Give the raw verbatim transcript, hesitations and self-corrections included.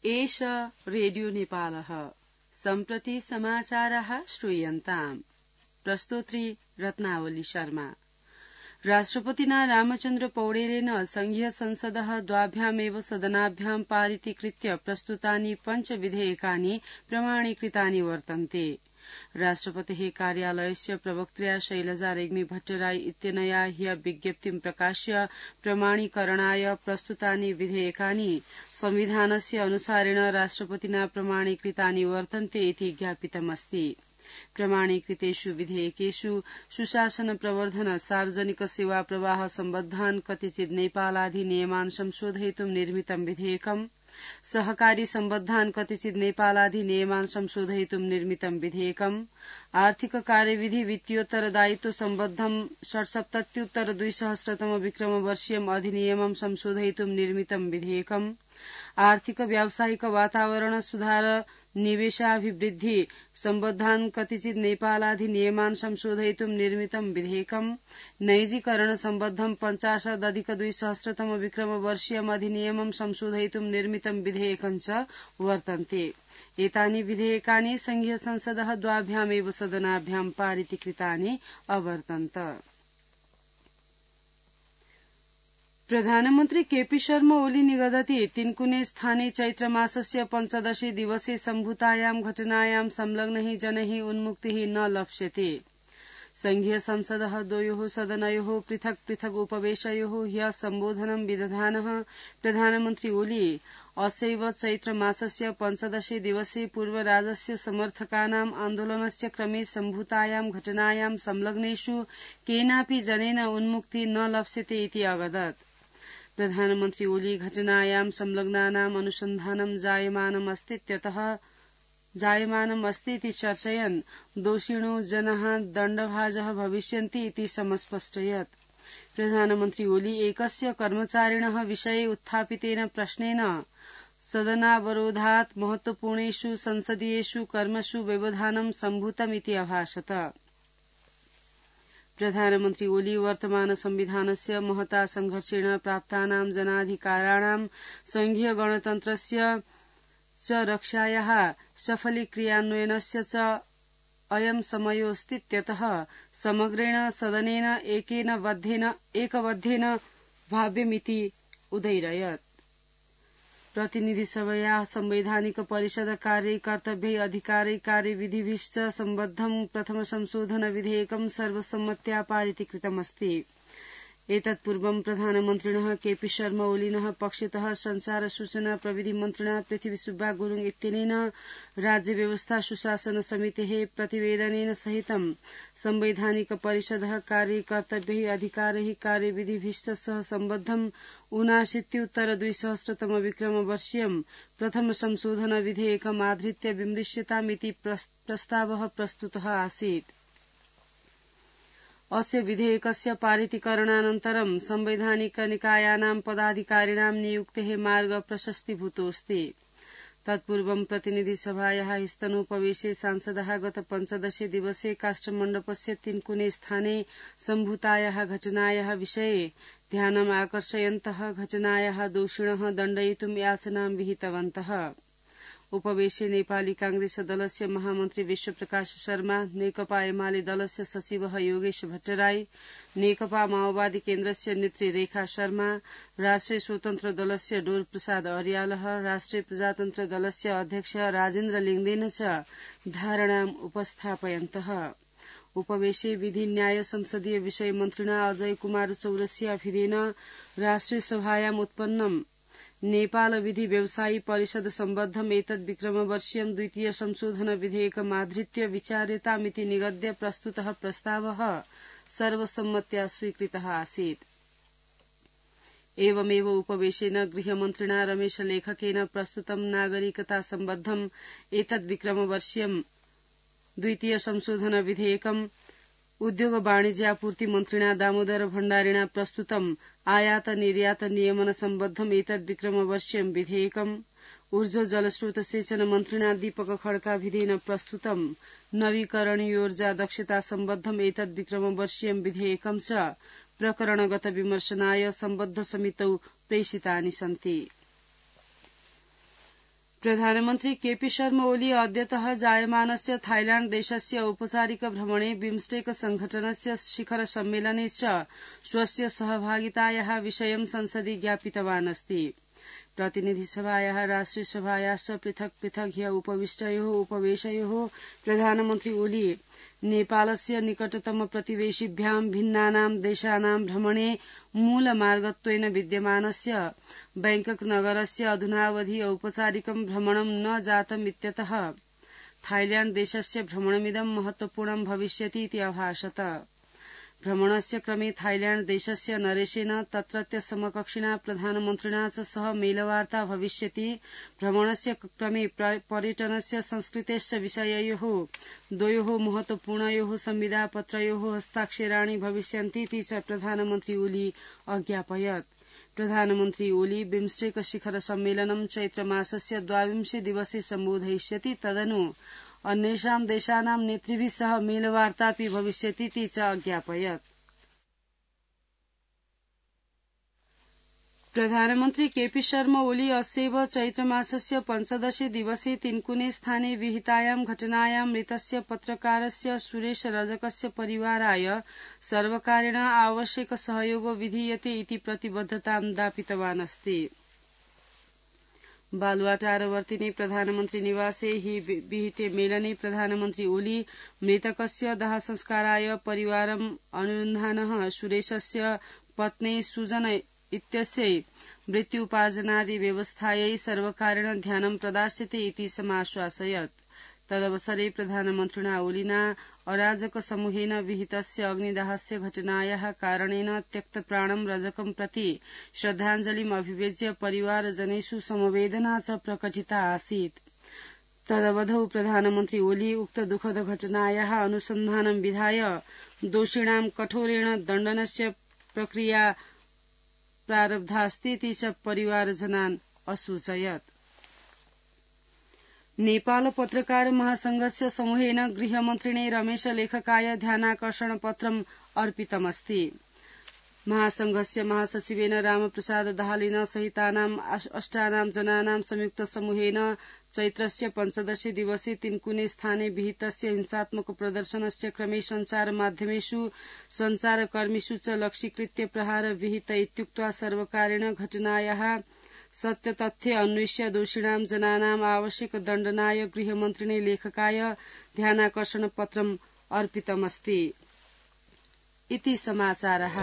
एष रेडियो नेपालः सम्प्रति समाचारः श्रूयन्ताम् प्रस्तोत्री रत्नावली शर्मा। राष्ट्रपतिना रामचन्द्र पौडेलेन संघीय संसदः द्वाभ्यामेव सदनाभ्यां पारितीकृत्य प्रस्तुतानि पञ्च विधेयकानि प्रमाणीकृतानि वर्तन्ते। राष्ट्रपतेः कार्यालयस्य प्रवक्त्र्या शैलजा रेग्मी भट्टराई इत्यनया ह्य विज्ञप्तिं प्रकाश्य प्रमाणीकरणाय प्रस्तुतानि विधेयकानि संविधानस्य अनुसारेण राष्ट्रपतिना प्रमाणीकृतानि वर्तन्ते इति ज्ञापितमस्ति। प्रमाणीकृतेषु विधेयकेषु सुशासन प्रवर्धन सार्वजनिक सेवा प्रवाह सम्बद्धान् कतिचित् नेपालाधिनियमान् संशोधयितुं निर्मितं विधेयकम्, सहकारी सम्बद्धान् कतिचित् नेपालाधिनियमान् संशोधयितुं निर्मितं विधेयकम्, आर्थिक कार्यविधि वित्तीयोत्तरदायित्व सम्बद्धं षट्सप्तत्युत्तर द्विसहस्रतम विक्रमवर्षीयम् अधिनियमं संशोधयितुं निर्मितं विधेयकम्, आर्थिक व्यावसायिक वातावरण सुधार निवेशाभिवृद्धि सम्बद्धान् कतिचित् नेपालाधिनियमान् संशोधयितुं निर्मितं विधेयकम्, नैजीकरण सम्बद्धं पञ्चाशदधिक द्विसहस्रतम विक्रमवर्षीयम् अधिनियमं संशोधयितुं निर्मितं विधेयकम् च वर्तन्ते। एतानि विधेयकानि संघीय संसदः द्वाभ्यामेव सदनाभ्यां पारितीकृतानि अवर्तन्त। प्रधानमन्त्री केपी शर्मा ओली निगदति तिनकुने स्थाने चैत्रमासस्य पञ्चदशे दिवसे सम्भूतायां घटनायां संलग्नैः जनैः उन्मुक्तिः न लप्स्यते। संघीय संसदः द्वयोः सदनयोः पृथक् पृथक् उपवेशयोः ह्यः सम्बोधनं विदधानः प्रधानमन्त्री ओली असैव चैत्रमासस्य पञ्चदशे दिवसे पूर्वराजस्य समर्थकानाम् आन्दोलनस्य क्रमे सम्भूतायां घटनायां संलग्नेषु केनापि जनेन उन्मुक्ति न लप्स्यते इति अवदत्। प्रधानमन्त्री ओली घटनायां संलग्नानाम् अनुसन्धानं जायमानमस्तीत्यतः जायमानमस्तीति चर्चयन् दोषिणो जनाः दण्डभाजः भविष्यन्ति इति समस्पष्टयत्। प्रधानमन्त्री ओली एकस्य कर्मचारिणः विषये उत्थापितेन प्रश्नेन सदनावरोधात् महत्वपूर्णेषु संसदीयेषु कर्मसु व्यवधानं सम्भूतमिति अभाषत। प्रधानमन्त्री ओली वर्तमान संविधानस्य महता संघर्षेण प्राप्तानां जनाधिकाराणां संघीय गणतन्त्रस्य च रक्षायाः सफलीक्रियान्वयनस्य च अयं समयोऽस्तीत्यतः समग्रेण सदनेन एकेन बद्धेन एकबद्धेन भाव्यमिति उदैरयत्। प्रतिनिधिसभया संवैधानिक परिषद कार्य कर्तव्यै अधिकारै कार्यविधिभिश्च सम्बद्धं प्रथम संशोधन विधेयकं सर्वसम्मत्या पारितीकृतमस्ति। एतत्पूर्वं प्रधानमन्त्रिणः केपी शर्मा ओलिनः पक्षतः संचार सूचना प्रविधि मन्त्रिणा पृथ्वी सुब्बा गुरुङ इत्यनेन राज्य व्यवस्था सुशासन समितेः प्रतिवेदनेन सहितं संवैधानिक परिषदः कार्य कर्तव्यै अधिकारैः कार्यविधिभिश्च सह सम्बद्धं ऊनाशीत्युत्तर द्विसहस्रतम विक्रमवर्षीयं प्रथम संशोधन विधेयकम् आधृत्य विमृश्यतामिति प्रस्तावः प्रस्तुतः आसीत्। अस्य विधेयकस्य पारितीकरणानन्तरं संवैधानिक निकायानां पदाधिकारिणां नियुक्तेः मार्ग प्रशस्तीभूतोऽस्ति। तत्पूर्वं प्रतिनिधिसभायाः स्तनोपवेशे सांसदः गत पञ्चदशे दिवसे काष्ठमण्डपस्य तिनकुने स्थाने सम्भूतायाः घटनायाः विषये ध्यानम् आकर्षयन्तः घटनायाः दोषिणः दण्डयितुं याचनां विहितवन्तः। उपवेशे नेपाली कांग्रेस दलस्य महामन्त्री विश्वप्रकाश शर्मा, नेकपा एमाले दलस्य सचिवः योगेश भट्टराई, नेकपा माओवादी केन्द्रस्य नेत्री रेखा शर्मा, राष्ट्रिय स्वतन्त्र दलस्य डोल प्रसाद अर्यालः, राष्ट्रिय प्रजातन्त्र दलस्य अध्यक्ष राजेन्द्र लिङदेन च धारणाम् उपस्थापयन्तः। उपवेशे विधि न्याय संसदीय विषय मन्त्रिणा अजय कुमार चौरसियाभिरेन राष्ट्रिय सभायाम् उत्पन्नम् नेपाल विधि व्यवसायी परिषद सम्बद्धम् एतद् विक्रमवर्षीयम् द्वितीय संशोधन विधेयकमाधृत्य विचार्यतामिति निगद्य प्रस्तुतः प्रस्तावः सर्वसम्मत्या स्वीकृतः आसीत्। एवमेव उपवेशेन गृहमन्त्रिणा रमेश लेखकेन प्रस्तुतं नागरिकता सम्बद्धम् एतद् विक्रमवर्षीयम् द्वितीय संशोधन विधेयकम् उद्योग वाणिज्यापूर्ति मन्त्रिणा दामोदर भण्डारिणा प्रस्तुतम् आयात निर्यात नियमन सम्बद्धम् एतद् विक्रमवर्षीयम् विधेयकम् ऊर्जा जलस्रोत सिंचन मन्त्रिणा दीपक खड्काभिधेन प्रस्तुतम् नवीकरणीयोर्जा दक्षता सम्बद्धम् एतद् विक्रमवर्षीयम् विधेयकम् च प्रकरणगत विमर्शनाय सम्बद्ध समितौ प्रेषितानि सन्ति। प्रधानमन्त्री केपी शर्मा ओली अद्यतः जायमानस्य थाईलैण्ड देशस्य औपचारिक भ्रमणे बिम्स्टेक संघटनस्य शिखर सम्मेलने च स्वस्य सहभागितायाः विषयं संसदि ज्ञापितवान् अस्ति। प्रतिनिधिसभायाः राष्ट्रियसभायाश्च पृथक् पृथक् ह्य उपविष्टयोः उपवेशयोः प्रधानमन्त्री ओली नेपालस्य निकटतम प्रतिवेशिभ्यां भिन्नानां देशानां भ्रमणे मूलमार्गत्वेन विद्यमानस्य बैंकक नगरस्य अधुनावधि औपचारिकं भ्रमणं न जातमित्यतः थाईलैण्ड देशस्य भ्रमणमिदं महत्वपूर्णं भविष्यति इति अभाषत। भ्रमणस्य क्रमे थाईलैण्ड देशस्य नरेशेन तत्रत्य समकक्षिणा प्रधानमन्त्रिणा च सह मेलवार्ता भविष्यति। भ्रमणस्य क्रमे पर्यटनस्य संस्कृतेश्च विषययोः द्वयोः महत्वपूर्णयोः संविदापत्रयोः हस्ताक्षराणि भविष्यन्तीति च प्रधानमन्त्री ओली अज्ञापयत्। प्रधानमन्त्री ओली बिम्स्टेक शिखर सम्मेलनं चैत्रमासस्य द्वाविंशे दिवसे सम्बोधयिष्यति। तदनु अन्येषां देशानां नेतृभिः सह मेलवार्तापि भविष्यतीति च अज्ञापयत्। प्रधानमन्त्री केपी शर्मा ओली अस्यैव चैत्रमासस्य पञ्चदशे दिवसे तिनकुने स्थाने विहितायां घटनायां मृतस्य पत्रकारस्य सुरेश रजकस्य परिवाराय सर्वकारेण आवश्यक सहयोगो विधीयते इति प्रतिबद्धतां दापितवान् अस्ति। बालुवाटारवर्तिने प्रधानमन्त्री निवासे हि विहिते मेलने प्रधानमन्त्री ओली मृतकस्य दाहसंस्काराय परिवारम् अनुरुन्धानः सुरेशस्य पत्नी सुजन इत्यस्यै मृत्युपार्जनादि व्यवस्थायै सर्वकारेण ध्यानं प्रदास्यते इति समाश्वासयत्। तदवसरे प्रधानमन्त्रिणा ओलिना अराजक समूहेन विहितस्य अग्निदाहस्य घटनायाः कारणेन त्यक्तप्राणं रजकं प्रति श्रद्धाञ्जलिम् अभिव्यज्य परिवारजनेषु समवेदना च प्रकटिता आसीत्। तदवधौ प्रधानमन्त्री ओली उक्त दुःखद घटनायाः अनुसन्धानं विधाय दोषिणां कठोरेण दण्डनस्य प्रक्रिया प्रारब्धास्तीति च परिवारजनान् असूचयत्। नेपाल पत्रकार महासंघस्य समूहेन गृहमन्त्रिणे रमेश लेखकाय ध्यानाकर्षण पत्रम् अर्पितमस्ति। महासंघस्य महासचिवेन रामप्रसाद दाहालेन सहितानाम् अष्टानां जनानां संयुक्त समूहेन चैत्रस्य पञ्चदशे दिवसे तिनकुने स्थाने विहितस्य हिंसात्मक प्रदर्शनस्य क्रमे सञ्चार माध्यमेषु सञ्चारकर्मिषु च लक्ष्यीकृत्य प्रहार विहित इत्युक्त्वा सर्वकारेण घटनायाः सत्यतथ्ये अन्वेष्य दोषिणां जनानाम् आवश्यक दण्डनाय गृहमन्त्रिणे लेखकाय ध्यानाकर्षण पत्रम् अर्पितमस्ति इति समाचारः।